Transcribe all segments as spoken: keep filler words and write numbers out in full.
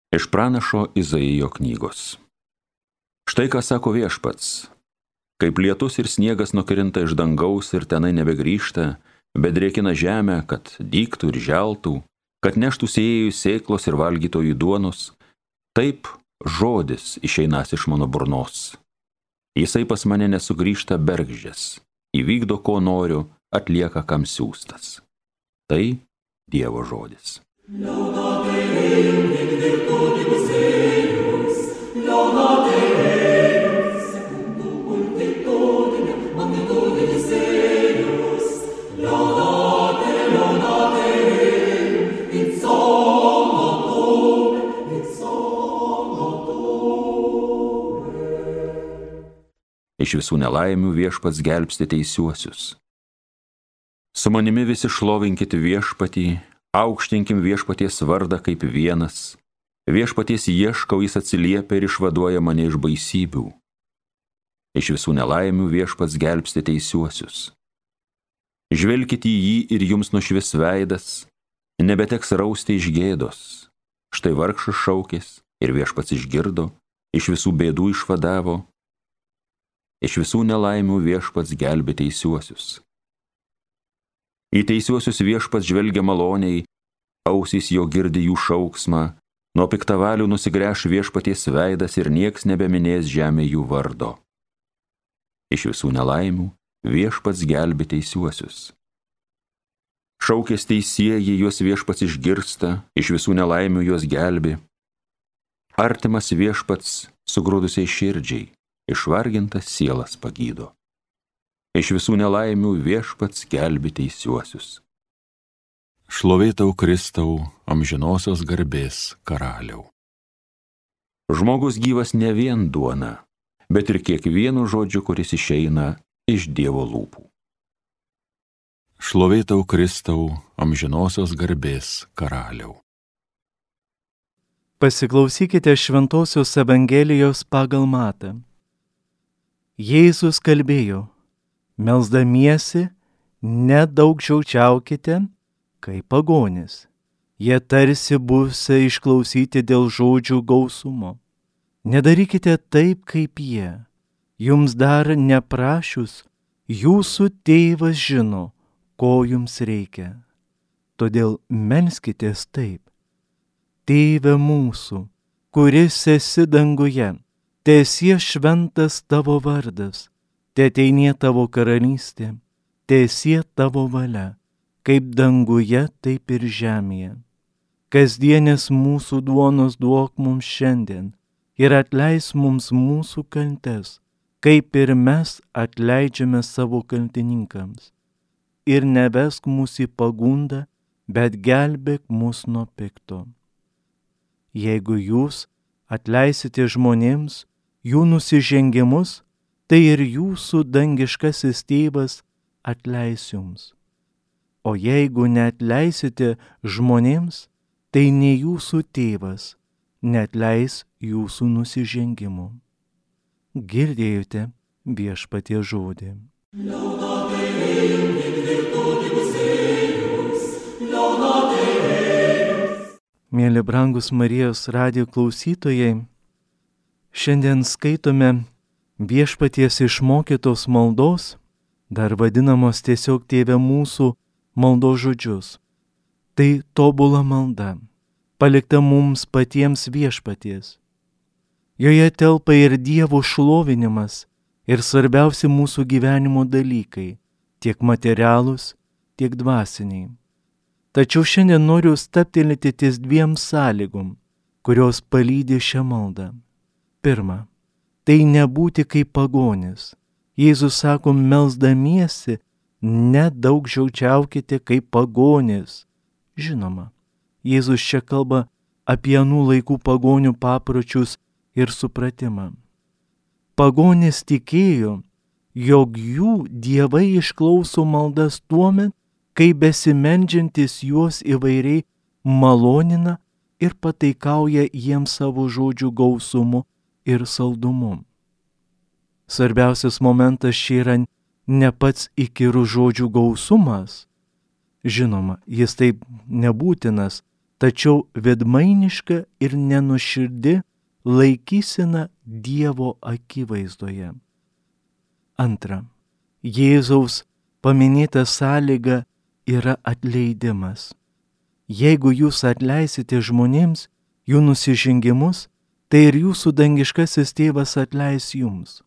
Iš pranašo Izaijo knygos. Štai ką sako Viešpats. Kaip lietus ir sniegas nukrinta iš dangaus ir tenai nebegrįžta, bet drėkina žemę, kad dygtų ir želtų, kad neštų sėjėjų sėklos ir valgytojų duonos, taip žodis išeinas iš mano burnos. Jisai pas mane nesugrįžta bergždžias, įvykdo ko noriu, atlieka kam siųstas. Tai Dievo žodis. Laudate Deum in virtutibus eius, laudate eius, secundum multitudinem, magnitudinis eius, laudate, laudate Deum, in somno tuum, in somno tuum. Iš visų nelaimių Viešpats gelbsti teisiuosius. Su manimi visi šlovinkit Viešpatį, aukštinkim Viešpaties vardą kaip vienas. Viešpaties ieškau, jis atsiliepia ir išvaduoja mane iš baisybių. Iš visų nelaimių Viešpats gelbsti teisiuosius. Žvelkit į jį ir jums nušvis veidas, nebeteks rausti iš gėdos. Štai vargšas šaukės ir Viešpats išgirdo, iš visų bėdų išvadavo. Iš visų nelaimių Viešpats gelbė teisiuosius. Į teisiuosius Viešpats žvelgia maloniai, ausys jo girdi jų šauksmą, nuo piktavalių nusigręš Viešpaties veidas ir nieks nebeminės žemė jų vardo. Iš visų nelaimių Viešpats gelbė teisiuosius. Šaukės teisieji, juos Viešpats išgirsta, iš visų nelaimių juos gelbė. Artimas Viešpats sugrūdusiai širdžiai, išvargintas sielas pagydo. Iš visų nelaimių Viešpats gelbė teisiuosius. Šlovė tau, Kristau, amžinosios garbės karaliau. Žmogus gyvas ne vien duona, bet ir kiekvienu žodžiu, kuris išeina iš Dievo lūpų. Šlovė tau, Kristau, amžinosios garbės karaliau. Pasiklausykite Šventosios Evangelijos pagal Matą. Jėzus kalbėjo: melsdamiesi, nedaugžodžiaukite, kaip pagonys. Jie tarsi būsią išklausyti dėl žodžių gausumo. Nedarykite taip, kaip jie. Jums dar neprašius, jūsų tėvas žino, ko jums reikia. Todėl melskitės taip: Tėve mūsų, kuris esi danguje, teesie šventas tavo vardas. Teateinie tavo karalystė, teesie tavo valia, kaip danguje, taip ir žemėje. Kasdienės mūsų duonos duok mums šiandien ir atleis mums mūsų kaltes, kaip ir mes atleidžiame savo kaltininkams. Ir nevesk mūsų į pagundą, bet gelbėk mus nuo pikto. Jeigu jūs atleisite žmonėms jų nusižengimus, tai ir jūsų dangiškasis tėvas atleis jums. O jeigu neatleisite žmonėms, tai ne jūsų tėvas neatleis jūsų nusižengimų. Girdėjote Viešpaties žodį. Laudate Deum in virtutibus eius, laudate Deum. Mėly brangus Marijos radijo klausytojai, šiandien skaitome Viešpaties išmokytos maldos, dar vadinamos tiesiog Tėve mūsų maldos žodžius. Tai tobula malda, palikta mums patiems Viešpaties. Joje telpa ir Dievo šlovinimas, ir svarbiausi mūsų gyvenimo dalykai, tiek materialūs, tiek dvasiniai. Tačiau šiandien noriu stabtelėti ties dviem sąlygom, kurios palydi šią maldą. Pirma, tai nebūti kaip pagonis. Jėzus sako, melsdamiesi, nedaugžodžiaukite kaip pagonis. Žinoma, Jėzus čia kalba apie anų laikų pagonių papročius ir supratimą. Pagonis tikėjo, jog jų dievai išklauso maldas tuomet, kai besimeldžiantis juos įvairiai malonina ir pataikauja jiems savo žodžių gausumu ir saldumu. Svarbiausias momentas čia yra ne pats įkyrų žodžių gausumas. Žinoma, jis taip nebūtinas, tačiau vedmainiška ir nenuširdi laikysena Dievo akivaizdoje. Antra. Jėzaus paminėta sąlyga yra atleidimas. Jeigu jūs atleisite žmonėms jų nusižengimus, tai ir jūsų dangiškasis tėvas atleis jums.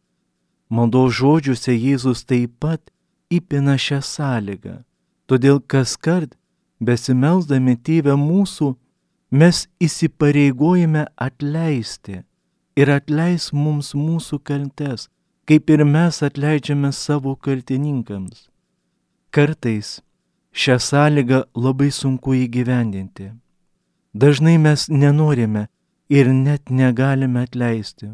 Maldos žodžiuose Jėzus taip pat įpina šią sąlygą, todėl kaskart besimelsdami Tėve mūsų, mes įsipareigojame atleisti ir atleis mums mūsų kaltes, kaip ir mes atleidžiame savo kaltininkams. Kartais šią sąlygą labai sunku įgyvendinti. Dažnai mes nenorime ir net negalime atleisti.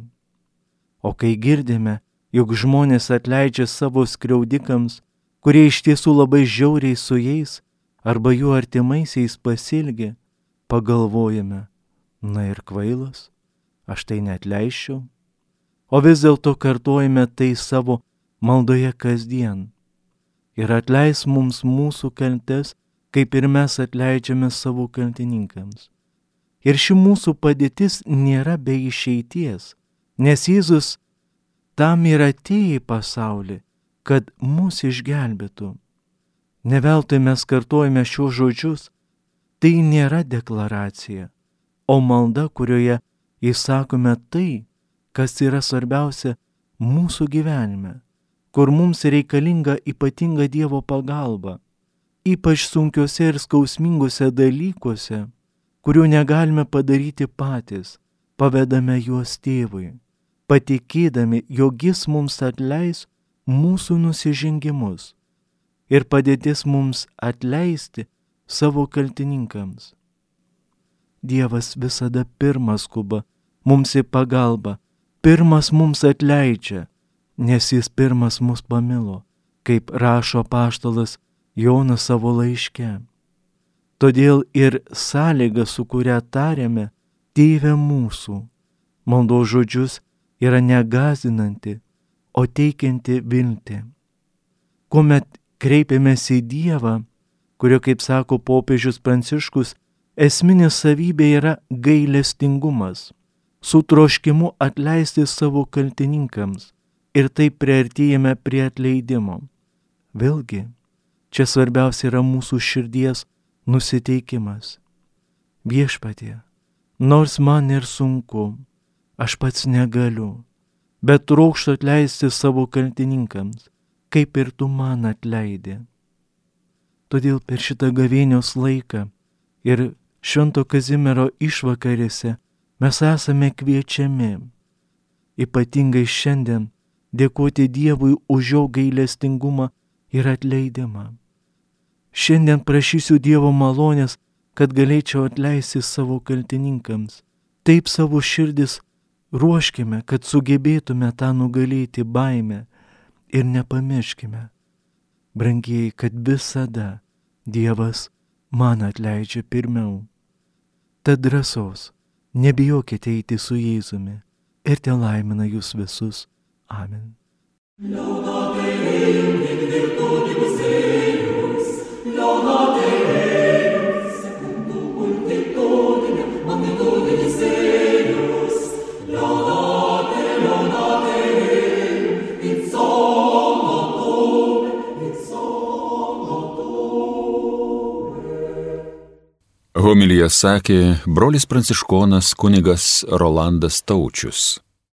O kai girdime, jog žmonės atleidžia savo skriaudikams, kurie iš tiesų labai žiauriai su jais arba jų artimaisiais pasielgia, pagalvojame, na ir kvailas, aš tai neatleisčiau. O vis dėlto kartojame tai savo maldoje kasdien. Ir atleis mums mūsų kaltes, kaip ir mes atleidžiame savo kaltininkams. Ir ši mūsų padėtis nėra be išeities, nes Jėzus tam ir atėjo į pasaulį, kad mus išgelbėtų. Ne veltui mes kartojame šiuos žodžius, tai nėra deklaracija, o malda, kurioje įsakome tai, kas yra svarbiausia mūsų gyvenime, kur mums reikalinga ypatinga Dievo pagalba, ypač sunkiuose ir skausminguose dalykuose, kurių negalime padaryti patys, pavedame juos Tėvui, patikėdami, jog Jis mums atleis mūsų nusižengimus ir padėtis mums atleisti savo kaltininkams. Dievas visada pirmas skuba mums į pagalbą, pirmas mums atleidžia, nes Jis pirmas mus pamilo, kaip rašo apaštalas Jonas savo laiške. Todėl ir sąlyga, su kuria tariame, Tėve mūsų, maldos žodžius yra negazinanti, o teikianti viltį. Kuomet kreipiamės į Dievą, kurio, kaip sako popiežius Pranciškus, esminė savybė yra gailestingumas, su troškimu atleisti savo kaltininkams ir taip priartėjame prie atleidimo. Vėlgi, čia svarbiausia yra mūsų širdies nusiteikimas. Viešpatie, nors man ir sunku, aš pats negaliu, bet trokštu atleisti savo kaltininkams, kaip ir tu man atleidi. Todėl per šitą gavėnios laiką ir Švento Kazimiero išvakarėse mes esame kviečiami, ypatingai šiandien, dėkoti Dievui už jo gailestingumą ir atleidimą. Šiandien prašysiu Dievo malonės, kad galėčiau atleisti savo kaltininkams. Taip savo širdis ruoškime, kad sugebėtume tą nugalėti baimę ir nepamirškime, brangieji, kad visada Dievas man atleidžia pirmiau. Tad drąsos, nebijokite eiti su Jėzumi ir te laimina jūs visus. Amen. Laudate Deum in virtutibus eius, laudate Deum secundum multitudinem magnitudinis eius, laudate, laudate Deum in salvator, in salvator. Homiliją sakė brolis pranciškonas kunigas Rolandas Taučius.